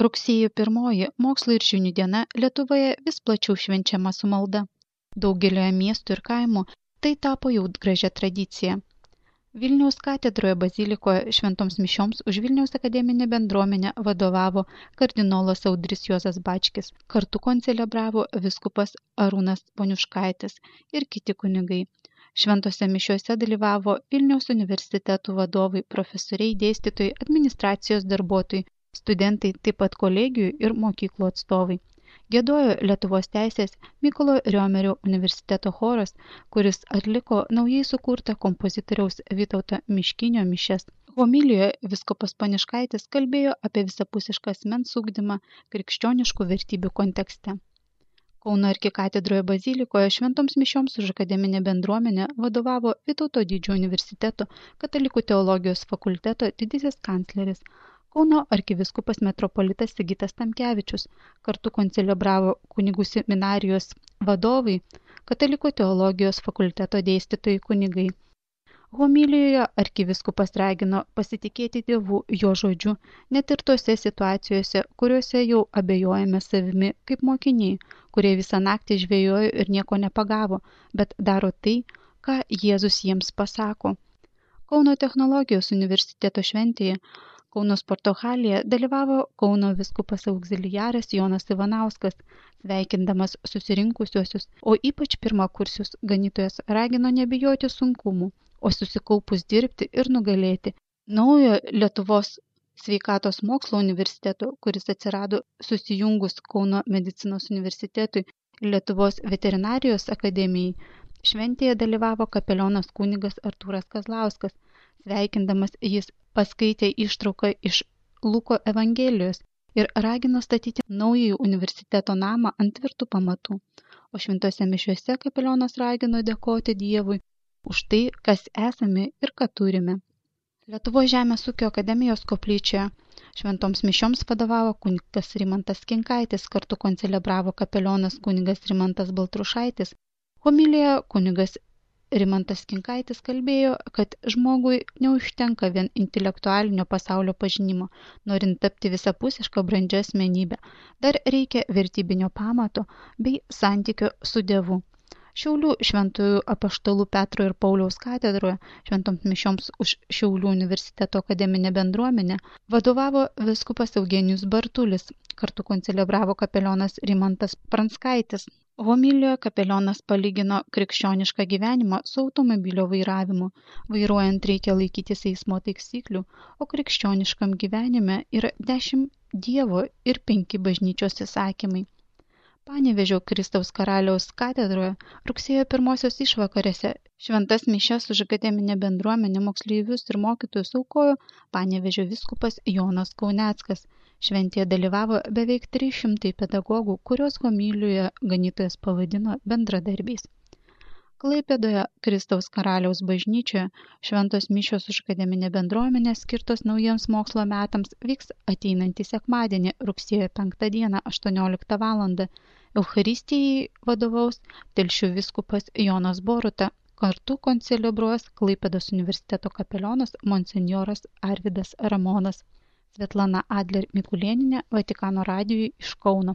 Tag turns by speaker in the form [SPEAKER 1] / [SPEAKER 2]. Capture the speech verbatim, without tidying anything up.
[SPEAKER 1] Rugsėjo pirmoji mokslo ir žinių diena Lietuvoje vis plačiau švenčiama su malda. Daugelioje miestų ir kaimų tai tapo jau gražia tradicija. Vilniaus katedroje bazilikoje šventoms mišioms už Vilniaus akademinę bendruomenę vadovavo kardinolas Audris Juozas Bačkis, kartu koncelebravo vyskupas Arūnas Poniuškaitis ir kiti kunigai. Šventose mišiuose dalyvavo Vilniaus universitetų vadovai, profesoriai, dėstytojai, administracijos darbuotojai, studentai, taip pat kolegijų ir mokyklų atstovai. Giedojo Lietuvos teisės Mykolo Riomerio universiteto choras, kuris atliko naujai sukurtą kompozitoriaus Vytauto Miškinio mišias. Homilijoje vyskupas Poniuškaitis kalbėjo apie visapusišką asmens ugdymą krikščioniškų vertybių kontekste. Kauno arkikatedroje bazilikoje šventoms mišioms už akademinę bendruomenę vadovavo Vytauto Didžiojo universiteto katalikų teologijos fakulteto didysis kancleris. Kauno arkivyskupas metropolitas Sigitas Tamkevičius, kartu koncelebravo kunigų seminarijos vadovai, katalikų teologijos fakulteto dėstytojai kunigai. Homilijoje arkivyskupas ragino pasitikėti Dievu jo žodžiu, net ir tose situacijose, kuriuose jau abejojame savimi kaip mokiniai, kurie visą naktį žvejojo ir nieko nepagavo, bet daro tai, ką Jėzus jiems pasako. Kauno technologijos universiteto šventėje Kauno sporto halėje dalyvavo Kauno vyskupas augziliaras Jonas Ivanauskas, sveikindamas susirinkusiuosius, o ypač pirmakursius ganytojas ragino nebijoti sunkumų, o susikaupus dirbti ir nugalėti. Naujo Lietuvos sveikatos mokslo universiteto, kuris atsirado susijungus Kauno medicinos universitetui ir Lietuvos veterinarijos akademijai, šventėje dalyvavo kapelionas kunigas Artūras Kazlauskas. Sveikindamas jis paskaitė ištrauką iš Luko Evangelijos ir ragino statyti naująjį universiteto namą ant tvirtų pamatų. O šventose mišiuose kapelionas ragino dėkoti Dievui už tai, kas esame ir ką turime. Lietuvos žemės ūkio akademijos koplyčioje šventoms mišioms vadovavo kunigas Rimantas Kinkaitis, kartu koncelebravo kapelionas kunigas Rimantas Baltrušaitis. Homilijoje kunigas Rimantas Kinkaitis kalbėjo, kad žmogui neužtenka vien intelektualinio pasaulio pažinimo, norint tapti visapusišką brandžią asmenybę. Dar reikia vertybinio pamato bei santykio su Dievu. Šiaulių šventųjų apaštalų Petro ir Pauliaus katedroje šventoms mišioms už Šiaulių universiteto akademinę bendruomenę vadovavo vyskupas Eugenijus Bartulis, kartu koncelebravo kapelionas Rimantas Pranskaitis. Homilijoje kapelionas palygino krikščionišką gyvenimą su automobilio vairavimu. Vairuojant reikia laikytis eismo taisyklių, o krikščioniškam gyvenime yra dešimt Dievo ir penki bažnyčios įsakymai. Panevėžio Kristaus karaliaus katedroje rugsėjo pirmosios išvakarėse šventas mišias už akademinę bendruomenę, moksleivius ir mokytojus aukojo Panevėžio vyskupas Jonas Kauneckas. Šventėje dalyvavo beveik trys šimtai pedagogų, kurios homilijoje ganytojas pavadino bendradarbiais. Klaipėdoje Kristaus karaliaus bažnyčioje šventos mišios už akademinę bendruomenę skirtos naujiems mokslo metams vyks ateinantį sekmadienį, rugsėjo penktą dieną, aštuonioliktą valandą. Eucharistijai vadovaus Telšių vyskupas Jonas Boruta, kartu koncelebruos Klaipėdos universiteto kapelionas monsinjoras Arvydas Ramonas. Svetlana Adler Mikulėnienė, Vatikano radijui iš Kauno.